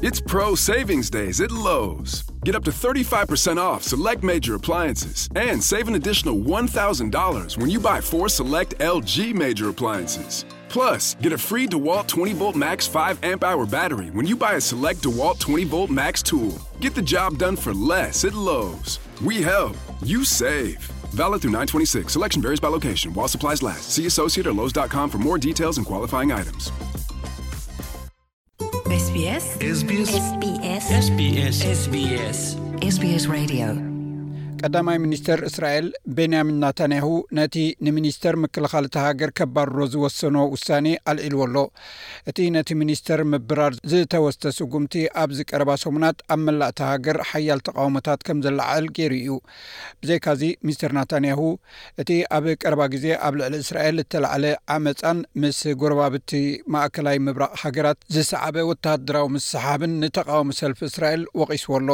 It's Pro Savings Days at Lowe's. Get up to thirty-five percent off select major appliances and save an additional one thousand dollars when you buy four select L G major appliances. Plus, get a free DeWalt twenty volt Max five amp hour battery when you buy a select DeWalt twenty volt Max tool. Get the job done for less at Lowe's. We help, you save. Valid through nine twenty-six. Selection varies by location while supplies last. See associate or Lowe's dot com for more details and qualifying items. S B S. S B S. S B S. S B S. S B S. S B S Radio. ቀዳማይ ሚኒስተር እስራኤል ቤንያሚን ናታንያሁ ነቲ ንሚኒስተር ምክልኻል እታ ሃገር ከባርሮ ዝወሰኖ ውሳኔ ኣልዒልዎ ኣሎ። እቲ ነቲ ሚኒስተር ምብራር ዝተወስደ ስጉምቲ ኣብዚ ቀረባ ሰሙናት ኣብ መላእ እታ ሃገር ሓያል ተቓውሞታት ከም ዘለዓዕል ገይሩ እዩ። ብዘይካዚ ሚስተር ናታንያሁ እቲ ኣብ ቀረባ ግዜ ኣብ ልዕሊ እስራኤል እተላዕለ ዓመጻን ምስ ጎረባብቲ ማእከላይ ምብራቕ ሃገራት ዝሰዓበ ወተሃደራዊ ምስሓብን ንተቓውሞ ሰልፊ እስራኤል ወቒስዎ ኣሎ።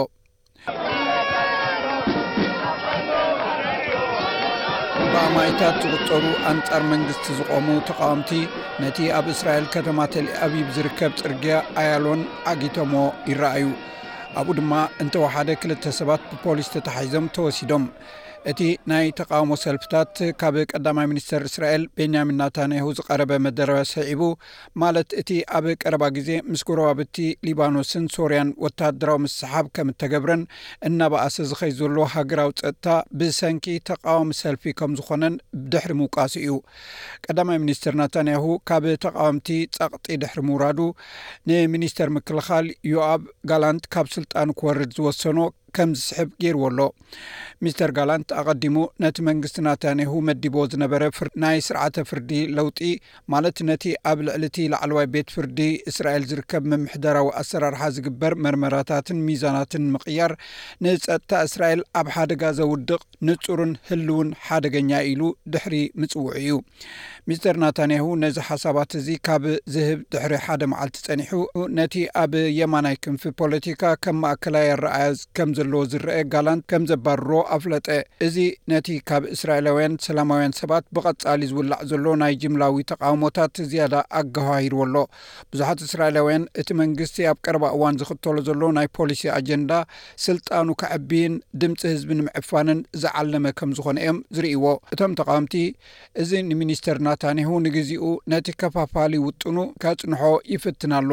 ብኣማኢታት ዝቑጸሩ ኣንጻር መንግስቲ ዝቖሙ ተቓወምቲ ነቲ ኣብ እስራኤል ከተማ ተል ኣቪቭ ዝርከብ ጽርግያ ኣያሎን ዓጊቶሞ ይረኣዩ። ኣብኡ ድማ እንተወሓደ ክልተ ሰባት ብፖሊስ ተታሒዞም ተወሲዶም። እቲ ናይ ተቓውሞ ሰልፍታት ካብ ቀዳማይ ሚኒስተር እስራኤል ቤንያሚን ናታንያሁ ዝቐረበ መደረ ስዒቡ፣ ማለት እቲ ኣብ ቀረባ ግዜ ምስ ጎረባብቲ ሊባኖስን ሶርያን ወተሃደራዊ ምስሓብ ከም እተገብረን እናበኣሰ ዝኸይ ዘሎ ሃገራዊ ጸጥታ ብሰንኪ ተቓዋሚ ሰልፊ ከም ዝኾነን ድሕሪ ምውቃሱ እዩ። ቀዳማይ ሚኒስተር ናታንያሁ ካብ ተቓወምቲ ጸቕጢ ድሕሪ ምውራዱ፣ ንሚኒስተር ምክልኻል ዮኣብ ጋላንት ካብ ስልጣኑ ክወርድ ዝወሰኖ ከም ዝስሕብ ገይርዎ ኣሎ። ሚስተር ጋላንት ኣቐዲሙ ነቲ መንግስቲ ናታንያሁ መዲቦ ዝነበረ ፍር- ናይ ስርዓተ ፍርዲ ለውጢ፣ ማለት ነቲ ኣብ ልዕሊ እቲ ላዕለዋይ ቤት ፍርዲ እስራኤል ዝርከብ ምምሕዳራዊ ኣሰራርሓ ዝግበር መርመራታትን ሚዛናትን ምቕያር፣ ንጸጥታ እስራኤል ኣብ ሓደጋ ዘውድቕ ንጹርን ህልውን ሓደገኛ ኢሉ ድሕሪ ምጽውዑ እዩ። ሚስተር ናታንያሁ ነዚ ሓሳባት እዚ ካብ ዝህብ ድሕሪ ሓደ መዓልቲ ጸኒሑ፣ ነቲ ኣብ የማናይ ክንፊ ፖለቲካ ከም ማእከላይ ኣረኣእያ ከም ዘለዎ ዝረአ ጋላንት ከም ዘባርሮ ኣፍለጠ። እዚ ነቲ ካብ እስራኤላውያን ሰላማውያን ሰባት ብቐጻሊ ዝውላዕ ዘሎ ናይ ጅምላዊ ተቓውሞታት ዝያዳ ኣገሃሂርዎ ኣሎ። ብዙሓት እስራኤላውያን እቲ መንግስቲ ኣብ ቀረባ እዋን ዝኽተሎ ዘሎ ናይ ፖሊሲ ኣጀንዳ ስልጣኑ ከዕብይን ድምፂ ህዝቢ ንምዕፋንን ዝዓለመ ከም ዝኾነ እዮም ዝርእይዎ። እቶም ተቓወምቲ፣ እዚ ንሚኒስተር ናታንያሁ ንግዚኡ ነቲ ከፋፋሊ ውጥኑ ከጽንሖ ይፍትን ኣሎ።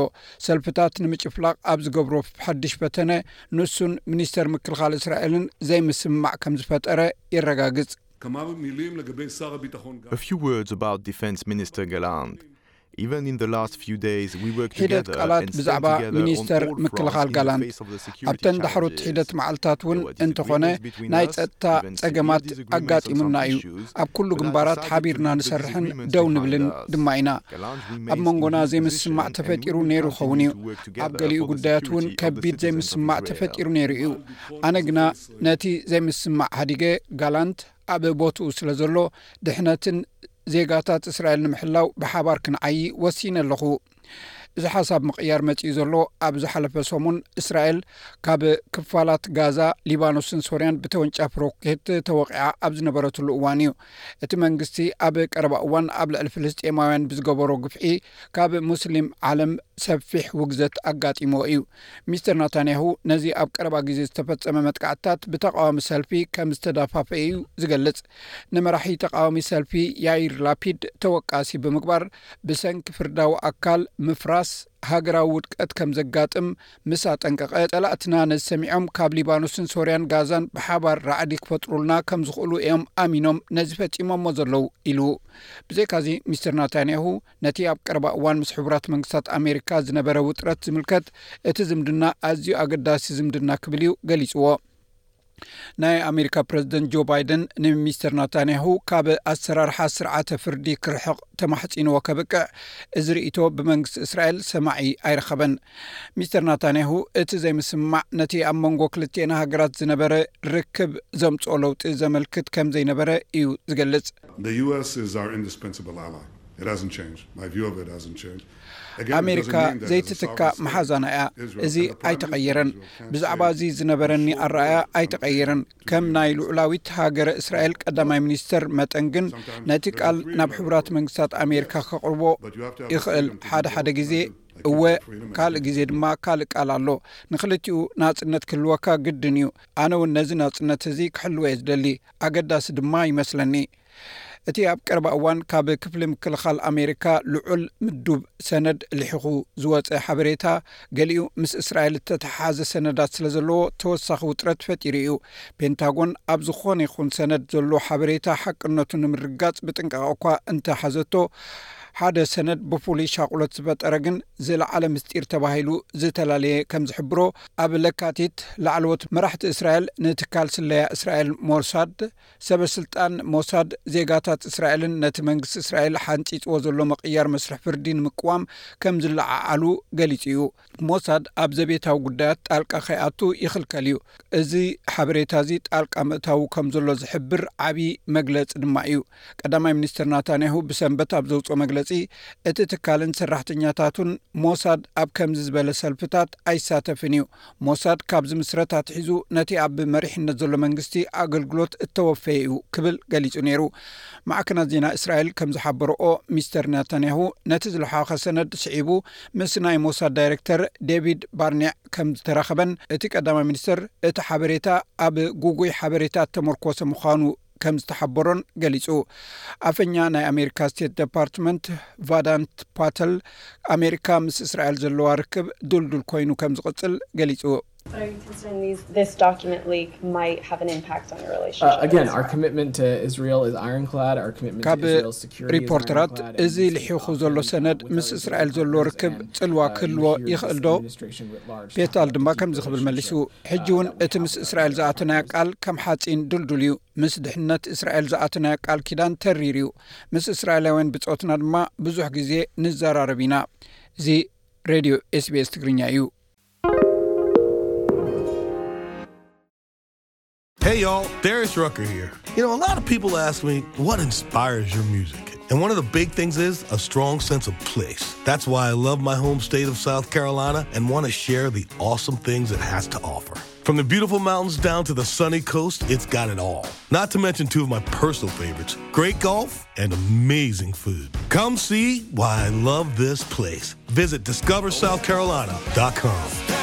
ሰልፍታት ንምጭፍላቕ ኣብ ዝገብሮ ሓድሽ ፈተነ፣ ንሱን ሚኒስተር ምክልኻል እስራኤልን ዘይምስምማዕ ከም ዝፈጠረ የረጋግጽ። כמה מילים לגבי שר הביטחון גלנט. A few words about Defense Minister Gallant. Even in the last few days, we worked ሒደት together ቃላት and spent ብዛዕባ together on ሚኒስተር all fronts ምክልኻል in the ጋላንት face of the security ኣብተን ዳሕሮት challenges. ሒደት መዓልታት እውን There were እንተኾነ disagreements between ናይ us, ጸጥታ even severe ጸገማት disagreements on ኣጋጢሙና some እዩ። issues, ኣብ ኩሉ but I ግንባራት decided to ሓቢርና leave the ንሰርሕን disagreements ደው behind ንብልን us. ድማ ኢና። Gallant ኣብ remains መንጎና in his ዘይምስማዕ position and ተፈጢሩ we will ነይሩ ኸውን እዩ። continue to work ኣብ together ገሊኡ for the ጉዳያት እውን security of the ከቢድ citizens of ዘይምስማዕ Israel. ተፈጢሩ ነይሩ እዩ። ኣነ ግና ነቲ ዘይምስማዕ ሃዲገ፣ ጋላንት ኣብ ቦትኡ ስለ ዘሎ፣ ድሕነትን ዜጋታት እስራኤል ንምሕላው ብሓባር ክንዓዪ ወሲነ ኣለኹ። እዚ ሓሳብ ምቕያር መጺኡ ዘሎ ኣብ ዝሓለፈ ሰሙን እስራኤል ካብ ክፋላት ጋዛ፣ ሊባኖስን ሶርያን ብተወንጫፊ ሮኬት ተወቒዓ ኣብ ዝነበረትሉ እዋን እዩ። እቲ መንግስቲ ኣብ ቀረባ እዋን ኣብ ልዕሊ ፍልስጤማውያን ብዝገበሮ ግፍዒ ካብ ሙስሊም ዓለም ሰፊሕ ውግዘት ኣጋጢሞ እዩ። ሚስተር ናታንያሁ ነዚ ኣብ ቀረባ ግዜ ዝተፈጸመ መጥቃዕትታት ብተቓዋሚ ሰልፊ ከም ዝተዳፋፈ እዩ ዝገልጽ። ንመራሒ ተቓዋሚ ሰልፊ ያይር ላፒድ ተወቃሲ ብምግባር ብሰንኪ ፍርዳዊ ኣካል ምፍራስ ሃገራዊ ውድቀት ከም ዘጋጥም ምስ ኣጠንቀቐ፣ ጸላእትና ነዚ ሰሚዖም ካብ ሊባኖስን ሶርያን ጋዛን ብሓባር ራዕዲ ክፈጥሩልና ከም ዝኽእሉ እዮም ኣሚኖም ነዚ ፈጺሞሞ ዘለዉ ኢሉ። ብዘይካዚ ሚስተር ናታንያሁ ነቲ ኣብ ቀረባ እዋን ምስ ሕቡራት መንግስታት ኣሜሪካ ዝነበረ ውጥረት ዝምልከት እቲ ዝምድና ኣዝዩ ኣገዳሲ ዝምድና ክብል እዩ ገሊጽዎ። ናይ ኣሜሪካ ፕረዚደንት ጆ ባይደን ንሚስተር ናታንያሁ ካብ ኣሰራርሓ ስርዓተ ፍርዲ ክርሕቕ ተማሕጺንዎ ከብቅዕ፣ እዚ ርእይቶ ብመንግስቲ እስራኤል ሰማዒ ኣይረኸበን። ሚስተር ናታንያሁ እቲ ዘይምስምማዕ ነቲ ኣብ መንጎ ክልቲኤን ሃገራት ዝነበረ ርክብ ዘምጽኦ ለውጢ ዘመልክት ከም ዘይነበረ እዩ ዝገልጽ። The U S is our indispensable ally. It hasn't changed. My view of it hasn't changed. Again, it doesn't ኣሜሪካ mean that as a ዘይትትካ sovereign state, መሓዛና እያ። Israel እዚ and the prime ኣይተቐየረን። minister of Israel can't ብዛዕባ say እዚ ዝነበረኒ ኣረኣያ ኣይተቐየረን። ከም ናይ ልዑላዊት ሃገረ እስራኤል ቀዳማይ ሚኒስተር መጠን ግን ነቲ ቃል ናብ ሕቡራት መንግስታት ኣሜሪካ ከቕርቦ ይኽእል። ሓደ ሓደ ግዜ እወ፣ ካልእ ግዜ ድማ ካልእ ቃል ኣሎ። ንክልቲኡ ናጽነት ክህልወካ ግድን እዩ። ኣነ እውን ነዚ ናጽነት እዚ ክሕልወ እየ ዝደሊ። ኣገዳሲ ድማ ይመስለኒ። እቲ ኣብ ቀረባ እዋን ካብ ክፍሊ ምክልኻል ኣሜሪካ ልዑል ምዱብ ሰነድ ልሒኹ ዝወጸ ሓበሬታ፣ ገሊኡ ምስ እስራኤል እተተሓሓዘ ሰነዳት ስለ ዘለዎ ተወሳኺ ውጥረት ፈጢሩ እዩ። ፔንታጎን ኣብ ዝኾነ ይኹን ሰነድ ዘሎ ሓበሬታ ሓቅነቱ ንምርጋጽ ብጥንቃቐ እኳ እንተሓዘቶ፣ ሓደ ሰነድ ብፍሉይ ሻቑሎት ዝፈጠረ ግን ዝለዓለ ምስጢር ተባሂሉ ዝተላለየ ከም ዝሕብሮ፣ ኣብ ለካቲት ላዕለዎት መራሕቲ እስራኤል ንትካል ስለያ እስራኤል ሞሳድ፣ ሰበ ስልጣን ሞሳድ ዜጋታት እስራኤልን ነቲ መንግስቲ እስራኤል ሓንጺጽዎ ዘሎ ምቕያር መስርሕ ፍርዲ ንምቅዋም ከም ዝለዓዓሉ ገሊጹ እዩ። ሞሳድ ኣብ ዘቤታዊ ጉዳያት ጣልቃ ከይኣቱ ይኽልከል እዩ። እዚ ሓበሬታ እዚ ጣልቃ ምእታዉ ከም ዘሎ ዝሕብር ዓቢ መግለጺ ድማ እዩ። ቀዳማይ ሚኒስትር ናታንያሁ ብሰንበት ኣብ ዘውጽኦ መግለጺ፣ እቲ ትካልን ሰራሕተኛታቱን ሞሳድ ኣብ ከምዚ ዝበለ ሰልፍታት ኣይሳተፍን እዩ። ሞሳድ ካብ ዝምስረት ኣትሒዙ ነቲ ኣብ መሪሕነት ዘሎ መንግስቲ ኣገልግሎት እተወፈየ እዩ ክብል ገሊጹ ነይሩ። ማዕከናት ዜና እስራኤል ከም ዝሓበረኦ፣ ሚስተር ናታንያሁ ነቲ ዝለሓኸ ሰነድ ስዒቡ ምስ ናይ ሞሳድ ዳይሬክተር ዴቪድ ባርኔዕ ከም ዝተራኸበን፣ እቲ ቀዳማይ ሚኒስተር እቲ ሓበሬታ ኣብ ጉጉይ ሓበሬታ እተመርኮሰ ምዃኑ ከም ዝተሓበሮን ገሊጹ። ኣፈኛ ናይ ኣሜሪካ ስቴት ዲፓርትመንት ቫዳንት ፓተል፣ ኣሜሪካ ምስ እስራኤል ዘለዋ ርክብ ድልዱል ኮይኑ ከም ዝቕጽል ገሊጹ። This document leak might have an impact on your relationship. Uh, again, our commitment to Israel is ironclad. Our commitment to Israel's security is ironclad. ሪፖርተራት፣ እዚ ልሒኹ ዘሎ ሰነድ ምስ እስራኤል ዘሎ ርክብ ጽልዋ ክህልዎ ይኽእል ዶ? ፔታል ድማ ከምዚ ክብል መሊሱ፣ ሕጂ እውን እቲ ምስ እስራኤል ዝኣተናዮ ቃል ከም ሓጺን ድልዱል እዩ። ምስ ድሕነት እስራኤል ዝኣተናዮ ቃል ኪዳን ተሪር እዩ። ምስ እስራኤላውያን ብጾትና ድማ ብዙሕ ግዜ ንዘራረብ ኢና። እዚ ሬድዮ ኤስቢኤስ ትግርኛ እዩ። Hey y'all, Darius Rucker here. You know, a lot of people ask me, what inspires your music? And one of the big things is a strong sense of place. That's why I love my home state of South Carolina and want to share the awesome things it has to offer. From the beautiful mountains down to the sunny coast, it's got it all. Not to mention two of my personal favorites, great golf and amazing food. Come see why I love this place. Visit discover south carolina dot com.